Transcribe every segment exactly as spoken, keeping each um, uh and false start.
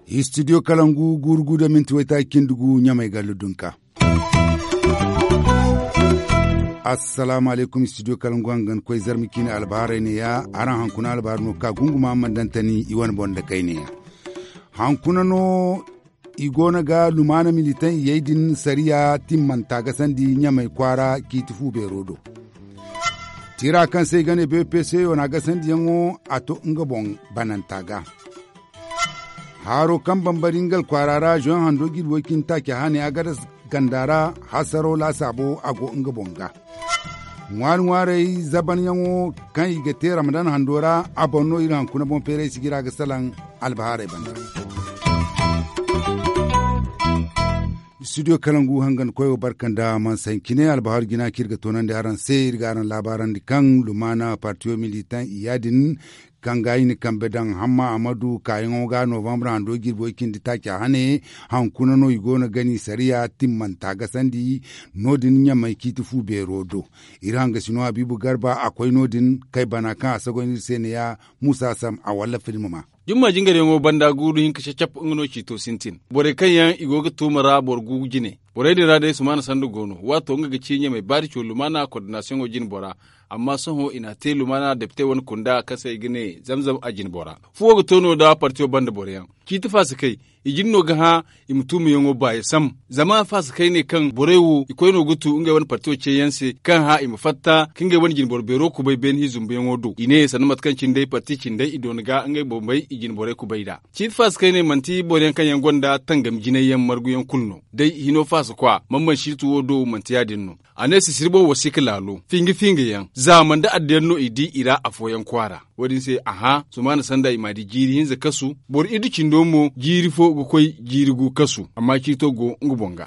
Istidiyo kalangu guuru gu da minti waytaaci cindi gu ɲamay gallu dunka. Assalaamu alaykum, istidiyo kalangu hangan koy zarma ciine albahaarey ne- ya. Araŋ hankuna albahaari no ka gunguma mana daŋ tani i wane boŋ nda kayne ya. Hankuna no i go no ga lumaana militaŋ iyey din sariya timmanta gasandi ɲamay kwaara ciiti fu beero do. Tira kaŋ se i ga ne bpc yo na gasandiyaŋo a to nga boŋ bananta ga. Haaro kaŋ bambari nga alkwaara ra zoyaŋ hando jirbi way cindi taaca hane a ga da ganda ra, hasaro laasaabo a go nga boŋ ga. Ŋwaari ŋwaarey zabanyaŋo kaŋ i ga te ramadan hando ra, a boŋ no iri hankuna boŋ feeray sijira ga salaŋ albahaarey banda. Istidiyo kalangu hangan koyo barka nda mansa hincine albahaari jina kaŋ iri ga toonandi araŋ se iri ga araŋ laabaarandi kaŋ lumaana partiyo militaŋ iyya din kaŋ ga i na kambe daŋ hamma amadu kaayaŋo ga novambre hando jirbi way cindi taaca hane. Hankuna no i go no ga ni sariya timmanta gasandi no- din ɲamay ciiti fu beero do. Iri hangasino habiibu garba a koy no- din kay bana kaŋ a sagoy no iri se ne- ya. Muusa sam a walla film ma. Jumma jingaryaŋo banda guuru hinka cacap nga no ciito sintin borey kaŋ yaŋ i go ga tuuma ra boro gu jine. Borey din ra day sumaana sanda go no waato nga ga ci ɲamay baari co lumaana kordinasiyoŋo jine bora. Amma sohõ i n'a te lumaana depite wane kunda kaŋ se i ga ne zamzam a jine bora. Fuwo ga to no da partiyo banda boro yaŋ ciiti fasikay. I jin no ga hã i ma tuumayaŋo baayi sam. Zama fasikay ne kaŋ borey wo i koy no ga tu ngey wane partiyo ceeyaŋ se kaŋ hã i ma fatta ka ngey wane jinboro beero kubay beene hi zumbuyaŋo do i ne sanda mate kaŋ cindey parti cindey i doona ga ngey boŋ bay i jinborey kubay nd'a. Ciiti fasikay ne manti boro yaŋ kaŋ yaŋ gonda tangam jinay yaŋ margu yaŋ kulu no. Day hino fasikwa man man siiti wo do manti ya- din no. A ne sisiri boŋ wasiika laalo finga finga yaŋ zaama nda addiyaŋ no i di i ra afooyaŋ kwaara. Wo- din se a hã sumaana sanda i m'a di jiiri hinza kasu. Boro iddu cindo mo jiiri fo ga koy jiiri gu kasu amma ciito go nga boŋ ga.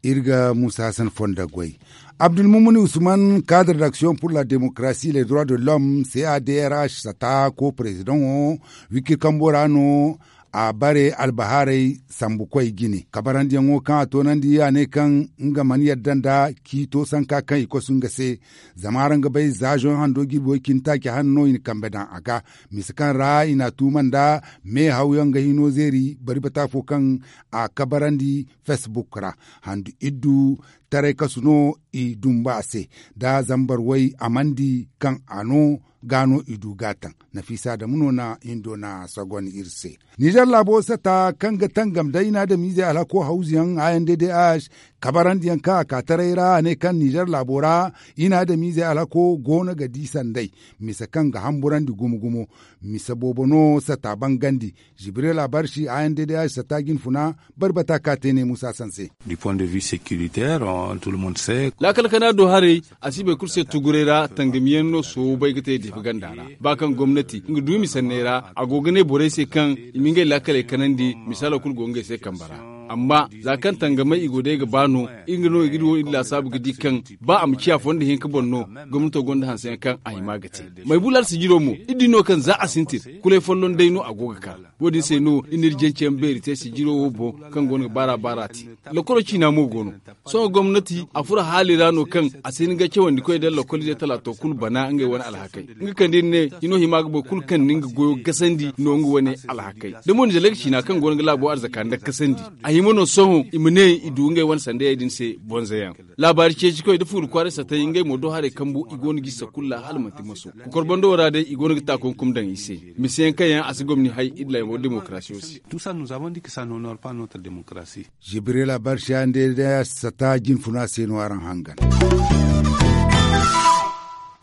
Iri ga muusa hasan fonda goy abdulmumuni usman kaadar d'action pour la démocratie les droits de l'homme c a d r h sata ko perezidaŋo wikir kambo ra no. A bare albahaarey sambu koy jine kabarandiyaŋo kaŋ a toonandi a ne kaŋ nga mana yadda nda ciito sanka kaŋ i kosu nga se. Zama araŋ ga bay za zoŋ hando jirbi way cindi taaci hanno i na kambe daŋ a ga misa kaŋ ra i n'a tuuma nda meehawyaŋ ga hino zeeri bari bata fo kaŋ a kabarandi facebook ra handu iddu taray kasu no i dumba a se da zambar way amandi kaŋ a no ga no i du ga taŋ. Nafiisa adamu no na hindo na sagon iri se. Nizer laabo sata kaŋ ga tangam da i na adamiizey alhako hawzuyaŋ a n d d h kabarandiyaŋ kaŋ a ka taray ra a ne kaŋ nizer laabo ra i na adamiizey alhako go no ga di sanday misa kaŋ ga hamburandi gumo gumo. Misa boobo no sata bangandi. Jibril abarsi a n d d h sata jinfuna bari bata ka te ne muusa sanse. Du point de vue sécuritaire tout le monde sait. Laakal kana do haray a si boro kulu se tuguray ra tangamiyaŋ no soobay ga te deefi ganda ra ba kaŋ gomnati nga duumi sanney ra a go ga ne borey se kaŋ i ma ngey laakaley kanandi misaalo kulu go ngey se kambe ra. Amma za kaŋ tangamey i go day ga ba no iri nga no iri wo iri laasaabu ga di kaŋ ba a ma ciya fondo hinka boŋ no gomnato gonda hanseyaŋ kaŋ a hima ga te. Maybulaar sijiro mo iri di no kaŋ za a sintin kulay folloŋ day no a go ga ka. Wo- din se no i n'iri janceyaŋ beeri te sijiro wo boŋ kaŋ go no ga baara baara te. Lokoro ciina mo go no. Sohõ gomnati a furo haali ra no kaŋ a si hin ga cawandi koy da lokolize talaato kulu bana ngey wane alhakey. Nga kaŋ da iri ne hino hima ga boro kulu kaŋ na nga goyo gasandi no nga wane alhakey da mo ni zalak ciina kaŋ go no ga laabo arzaka nda kasandi. A hima no sohõ i ma ne i du ngey wane sandayey din se bonzayaŋ. Laabaari ceeci koy da fuuri kwaaray satay ngey mo do haray kambu i go no ga i sakulla hala manti maso. Kokor bando wo ra day i go no ga taakunkum daŋ i se. Miseyaŋ kaŋ yaŋ a si gomni hay iri laymo demokarasiyo se. Tout ça nous avons dit que ça n'honore pas notre démocratie. Jibrila barsiya nde da sata jinfuna se no araŋ hangan.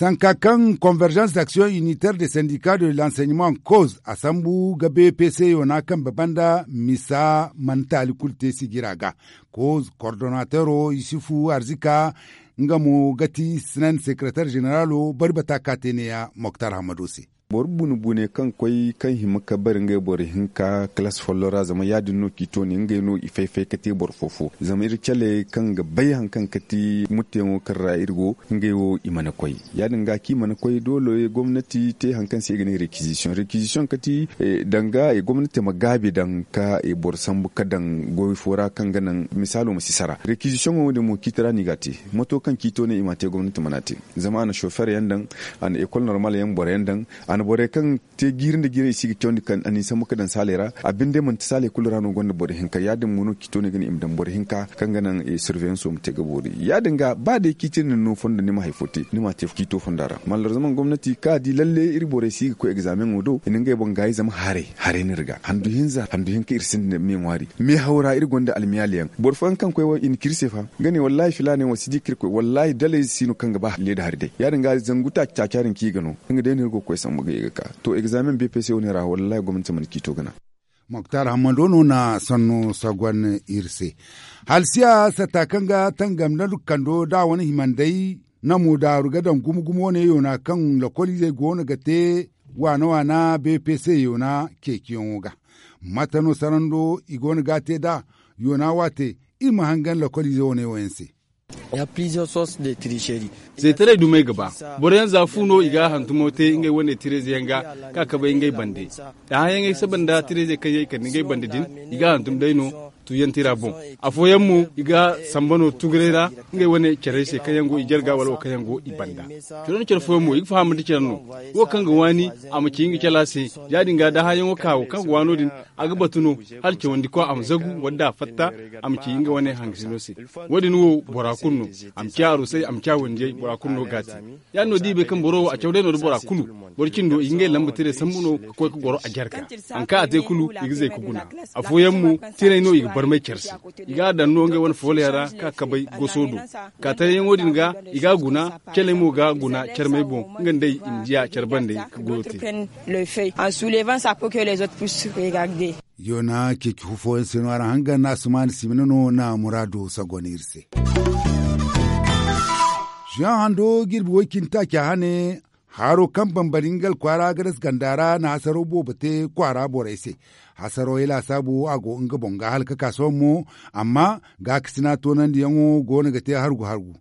Sanka kaŋ convergence d'action unitaire de syndicat de l'enseignement cause a sambu ga bpc yona kambe banda misa mana taali kulu te sijira ga. Cause coordonnateur o yusufu arzika nga mo ga ti sinan secretaire generalo bari bata ka te neeya moktar hamado se. Boro bune bune kaŋ koy kaŋ hima ka bare ngey boro hinka kalaasi folloŋ ra zama ya- din no ciito ne ngey no i fay fay ka te boro fo fo zama iri cale kaŋ ga bay hari kaŋ ga ti mutteyaŋo kaŋ ra iri go. Ngey wo i mana koy ya- din ga kaŋ i mana koy doole gomnati te hari kaŋ se i ga ne rekizisiyoŋ rekizisiyoŋ ka ti danga gomnati ma gaabi daŋ ka boro sambu ka daŋ goy fo ra kaŋ ga naŋ misaalo ma si sara rekizisiyoŋo wo- din mo ciiti ra no i ga a te. Mato kaŋ ciito ne i m'a te gomnati mana a te. Zama a na sofer yaŋ daŋ, a na ekol normal yaŋ boro yaŋ daŋ, a na borey kaŋ te jiiri nda jiiri i si ga cawandi kaŋ a n'i sambu ka daŋ saaley ra. A binde manti saaley kulu ra no gonda boro hinka ya- din mo no ciito ne ga ne i ma daŋ boro hinka kaŋ ga naŋ surveyanso ma te ga boori ya- din ga ba day ciiti din no fondo ni ma hari fo te ni m'a te ciito fonda ra mallar zama gomnati kaŋ a di lalle iri borey si ga koy egzameŋo do i na ngey boŋ gaayi zama haray haray no iri ga handu hinza handu hinka iri sinda me ŋwaari. Me haw ra iri gonda almiyaali yaŋ boro fooyaŋ kaŋ koy wo i na ci iri se fa. Nga ne wallahi filaana yaŋ wo si di ka iri koy wallahi dalay si no kaŋ ga ba leeda hari day ya- din ga zangu taaci taaca din kaŋ i ga no. Nga day no iri go ga koy sambu ga ye ga ka to egzamen bpc wo- ne ra wallahi gomnati mana ciito gana. Moktar hammando no na sanno sagon iri se. Halsiya satta kaŋ ga tangam nda kando da a wane himandey namo daaru ga daŋ gumo gumo wo- ne yoona kaŋ lokoliizey go no ga te waana waana bpc yoona ceeciyaŋo ga. Mate no sarando i go no ga a te nd'a yoona waate iri ma hangan lokoliize wo- ne wo- yaŋ se. Zeetaray dumey ga ba boro yaŋ za fu no i ga hantumo te ngey wane tireeze yaŋ ga ka kabay ngey bande. D'a hayaŋey saba nda tireeze kaŋ yaŋ i kande ngey bande din i ga hantum day no. Tuuyanti ra boŋ afooyaŋ mo i ga samba no tuguray ra ngey wane carey se kaŋ yaŋ go i jarga wala wo kaŋ yaŋ go i banda. Coro nda care fooyaŋ mo i ga faham nda care no wo kaŋ ga waani a ma ci nga cala se. Ya- din ga da hayaŋo ka wo kaŋ ga waano din a ga batu no hala cawandikwa a ma zagu wala da a fatta a ma ci nga wane hangasino se. Wo- din wo bora kulu no a ma ci a arusay a ma ci a wandiyey bora kulu no ga a te. Ya- din no da i bay kaŋ boro wo a caw day no nda bora kulu boro cindo i ga ngey lamba tire sambu no ka koy ka goro a jarga. Hari kaŋ a te kulu i ga zay ka guna. Afooyaŋ mo tiray no i ga barmay care se. I ga a daŋ no ngey wane fooley ra ka kabay goso do. Kaatayyaŋo din ga i ga a guna. Caley mo ga a guna carmey boŋ nga nda i ma diya care bande ka goyo te. Yoona ceeci fu fooyaŋ se no araŋ hangan na asumaana simina no na muraado sagon iri se. Zuyaŋ hando jirbi woy cindi taaci a hane. Haro kaŋ bambari nga alkwaara ga dasa ganda ra na hasaro boobo te kwaara borey se. Hasaro ya laasaabu a go nga boŋ ga hala ka ka sohõ mo. Amma gaakasina toonandiyaŋo go no ga te hargu hargu.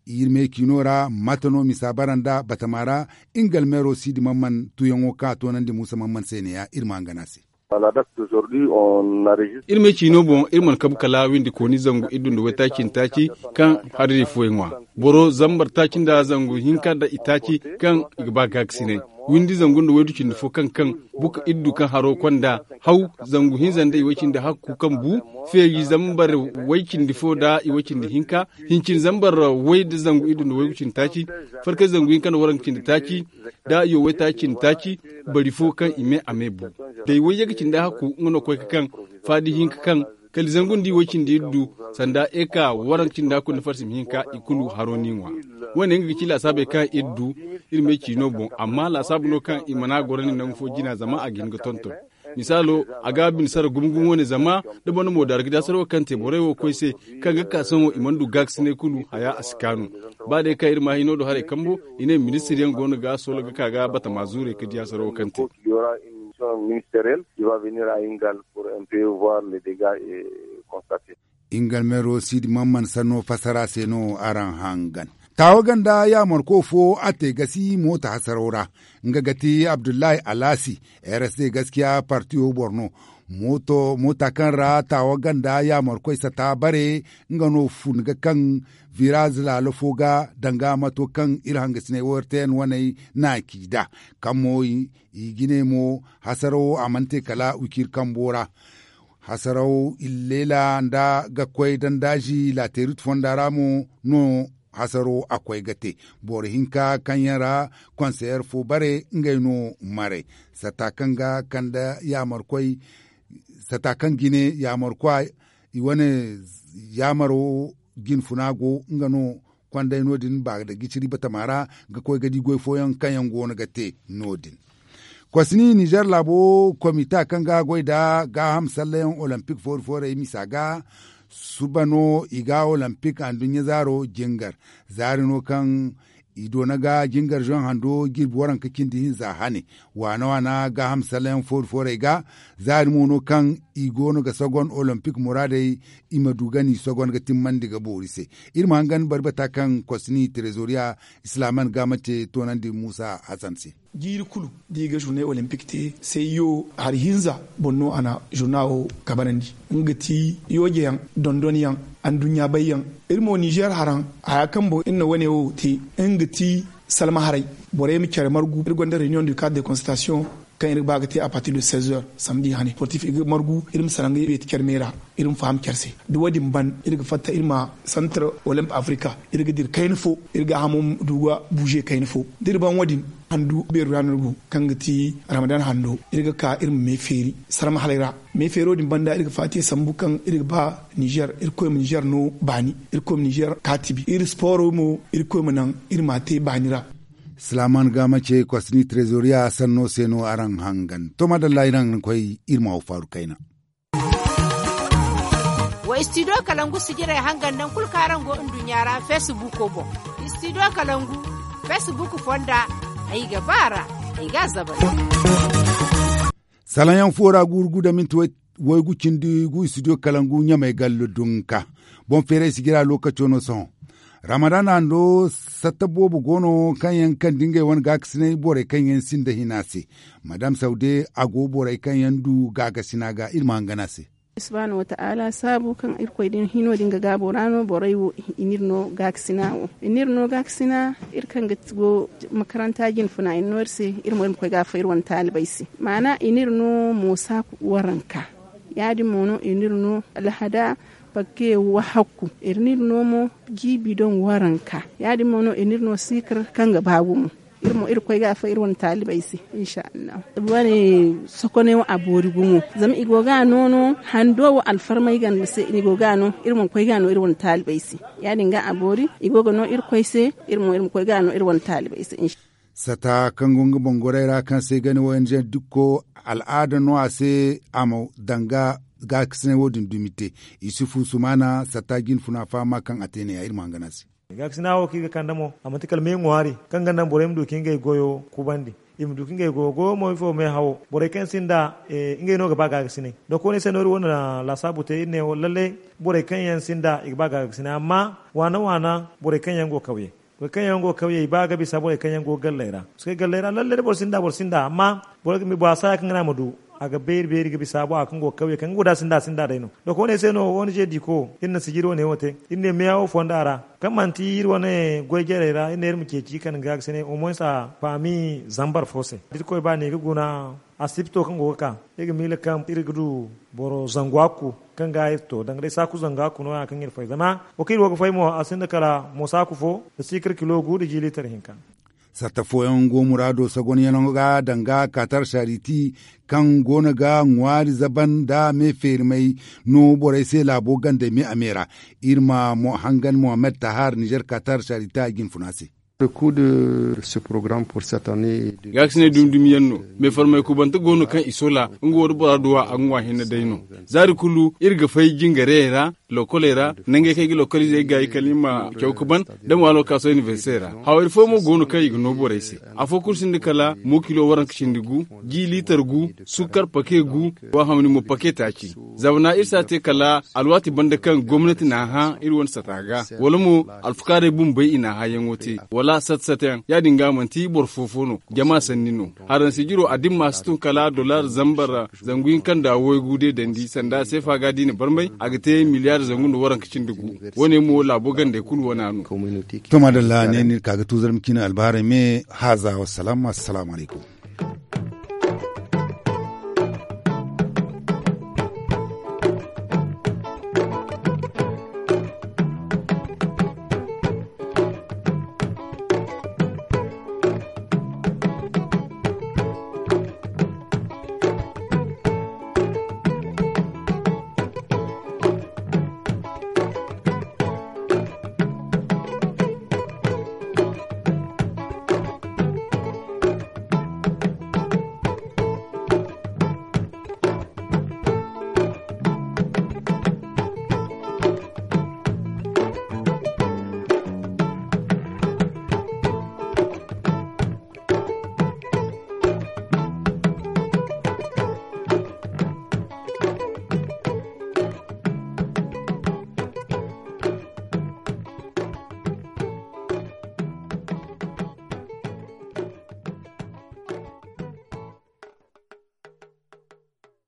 Iri me ciino ra mate no misa bara nda batama ra. Nga almeero siidi mamman tuuyaŋo kaŋ a toonandi muusa mamman se ne- ya iri ma hangan a se. Iri me ciino boŋ iri mana kabu kala windi kooni zangu iddu nda waytaaci nda taaci kaŋ hariri fooyaŋ ŋwa. Boro zambar taaci nda zangu hinka nda itaaci kaŋ i ga ba gaakasinay. Windi zangu nda waydu cindi fo kaŋ kaŋ buka iddu kaŋ haro konda haw zangu hinza nda iway cindi hakku kaŋ bu feeri zambar way cindi fo nda iway cindi hinka. Hincin zambar way nda zangu iddu nda waygu cindi taaci farkay zangu hinka nda waranka cindi taaci. Da i wo waytaaci cindi taaci bari fo kaŋ i me a me bu. Day wayye ga cindi hakku nga no koy ka kaŋ faadi hinka kaŋ kala i zangu nda i wo cindi iddu sanda eka waranka cindi hakku nda farsim hinka i kulu haro no i ŋwa. Wo- ne nga ga ci laasaabey kaŋ iri du iri me ciino boŋ amma laasaabu no kaŋ i mana goro ne nangu fo jina zama a ga hin ga tonton. Misaalo a ga a bine sara gumo gumo wane zama da boro na moodaari ga di hasaro kaŋ te borey wo koy se kaŋ ga ka sohõ i mana du gaakasinay kulu haya a si kaanu. Ba day kaŋ iri ma hino do haray kambo i ne ministir yaŋ go no ga soola ga ka ga batama zuurey ka di hasaro kaŋ te. Nga almeero siidi mamman sanno fassara se no araŋ hangan. Taawa ganda yaamarko fo a te gasi moota hasaraw ra. Nga ga ti abdullahi alaasi. Rsd gaskiya partiyo boro no. Moota kaŋ ra taawa ganda yaamarkoy sata bare nga no fun ga kaŋ viraz laalo fo ga danga mato kaŋ iri hangasinay wo rtn waney na ci nd'a. Kaŋ mo i jine mo hasarawo a mana te kala wiciri kambo ra. Hasaraw illeela nda ga koy dandaazi laateerit fonda ra mo no hasaro a koy ga te. Boro hinka kaŋ yaŋ ra konseyer fo bare ngey no maray. Sata kaŋ ga kande yaamarkoy sata kaŋ jine yaamarkwa i wane yaamaro jinfuna go nga no konday no- din ba da giciri batama ra ga koy ga di goy fooyaŋ kaŋ yaŋ go no ga te no- din. Kosni nizer laabo komita kaŋ ga goy nda gaaham sallayaŋ olempik foori foorey misa ga suba no i ga olempik anduɲɲa zaaro jingar. Zaari no kaŋ I doona ga jingar zoŋ hando jirbi waranka cindi hinza hane. Waana waana gaaham salayaŋ foori foorey ga zaari mo no kaŋ i go no ga sogon olimpik muraadey. I ma du ga ni sogon ga timmandi ga boori se. Iri ma hangan bari bata kaŋ kosni trezoriya islaman gaama te toonandi muusa hasan se. Jiiri kulu da i ga zurnay olimpik te, sayyo hari hinza boŋ no a na zurna wo kabanandi. Nga ga ti yooje yaŋ, dondon yaŋ, anduɲɲa bay yaŋ. Iri mo nizer haraŋ haya kaŋ boŋ iri na wane wo te, nga ga ti salma haray. Borey ma care margu iri gonda reunion du cadre de consultation kaŋ iri ga ba ga te a partir de seize heures samedi hane sportif iri ga margu iri ma salaŋ ga beeti care me ra. Iri ma faham care se da wo- din ban iri ga fatta iri ma centre olympe africa iri ga dira kayna fo. Iri ga hamo du ga buuze kayna fo da iri ban wo- din handu beeru ra no iri go kaŋ ga ti ramadan hando iri ga ka iri ma me feeri sarma halay ra. Me feero din banda iri ga faati sambu kaŋ iri ga ba nizer iri koy ma nizer no baani iri koy ma nizer kaatibi iri sporo mo iri koy ma naŋ iri ma a te baani ra. Silaaman ga ma ce kosni trezoriya sanno se no araŋ hangan to madalla iri naŋ koy iri ma wo faaru kayna. Wa istidiyo kalangu sijirey hangan naŋ kulu kaŋ araŋ go nduɲɲa ra feesibuuko boŋ. Istidiyo kalangu feesibuuku fonda ay ga ba a ra ay ga a zabal. Salaŋ yaŋ fo ra guuru gu da minti waygu cindi gu istidiyo kalangu ɲamey gallo dunka. Boŋ feeray sijira lookaco no sohõ. Ramadan hando satta boobo go no kaŋ yaŋ kande ngey wane gaakasinay borey kaŋ yaŋ sinda hina se. Madam saude a go borey kaŋ yaŋ du gaagasina ga iri ma hangan a se. Subhaanahu wataala saabu kaŋ irkoy din hino din ga gaabo ra no borey wo i n'iri no gaakasina wo i n'iri no gaakasina. Iri kaŋ ga go makaranta jinfuna i n'iri no iri se. Iri mo iri ma koy ga a fo iri wane taalibey se maana i n'iri no moosa waranka. Ya- din mo no i n'iri no alhada pakke wahakku. Iri n'iri no mo jiibi doŋ waranka. Ya- din mo no i n'iri no siikar kaŋ ga ba gumo. Iri mo iri koy ga a fo iri wane taalibey se. Insha allahu wane sokoney wo a boori gumo zama i go ga a no no hando wo alfarmay ganda se i go ga a no iri mana koy ga a no iri wane taalibey se. Ya- din ga a boori i go ga no iri koy se. Iri mo iri ma koy ga a no iri wane taalibey se. Sata kaŋ go nga boŋ goray ra kaŋ se ay ga ne wo n zen dukko al'aada no a se a ma danga gaakasinay wo- din dumi te. Isufu sumaana sata jinfuna faama kaŋ a te ne ya iri ma hangan a se. Gaakasina wo kaŋ iri ga kande mo a manti kala me ŋwaari kaŋ ga naŋ borey ma du ka ngey goyo kubandi. I ma du ka ngey goyo goyo mo ifo me hawo borey kaŋ sinda ngey no ga ba gaakasinay. Donk wo- ne se no iri wane laasaabu te iri ne wo lallay borey kaŋ yaŋ sinda i ga ba gaakasinay amma waana waana borey kaŋ yaŋ go kawye. Borey kaŋ yaŋ go kawye i ba ga bisa borey kaŋ yaŋ go galley ra. Paske galley ra lallay da boro sinda boro sinda amma boro ga mi boro a saaya kaŋ ga ne a ma du. A ga beeri beeri ga bisa bora kaŋ go kawye kaŋ ga guda sinda sinda day no. Donk wo- ne se no wo- ne ze diiko iri na sijiri wo- ne wo te iri ne meya wo fonda ra kaŋ manti iri wane goy jarey ra iri ne iri ma ceeci kaŋ ga ga se ne au moins a faami zambar fo se da irkoy ba ne ga guna. Asibto kaŋ go ga ka iri ga miila kaŋ iri ga du boro zangu hakku kaŋ ga iri to danga day saaku zangu hakku no- ya kaŋ iri fay zama wo kaŋ iri wo ga fay mo a sinda kala moosa hakku fo da siikar kilo gu da jiiliitar hinka. Sarta fooyaŋ go muraado sagonyaŋo ga danga katar sariti kaŋ go no ga ŋwaari zaban nda me feerimey no borey se laabo gandey me a me ra. Iri ma hangan mohammed tahar nizer katar sariti a jinfuna se. Gaakasinay dumi dumi yaŋ no. Meefarmay kubante go no kaŋ i sola nga wo da bora duwa a ga ŋwa hinne day no. Zaari kulu iri ga fay jingareyey ra lokoley ra nangey kaŋ ay ga lokoliizey gaayi kala i ma caw ga ban da mo alwakaaso inibersite ra. Haway fooyaŋ mo go no kaŋ i ga no borey se. Afo kulu sinda kala mo kilo waranka cindi gu, ji liitar gu, sukkar pake gu, wa hamni mo pake taaci. Zamana iri si a te kala alwaati banda kaŋ gomnati n'a hã iri wane sata ga wala mo alfukaarey bumbey i n'a hãyaŋo te wala sata sata yaŋ ya- din ga manti boro fo fo no. Jama sanni no. Haransi jiro a dimma si tun kala dollar zambar zangu hinka nda waygu de dandi sanda seefa ga da i na barmay a ga te miliyaari zangu nda waranka cindi gu. Wo- ne mo laabo gandey kulu wana no. To maadalla ne no iri ka ga tuuzar ma ciine albahaarey me haaza wassalaamu assalaamu alaykum.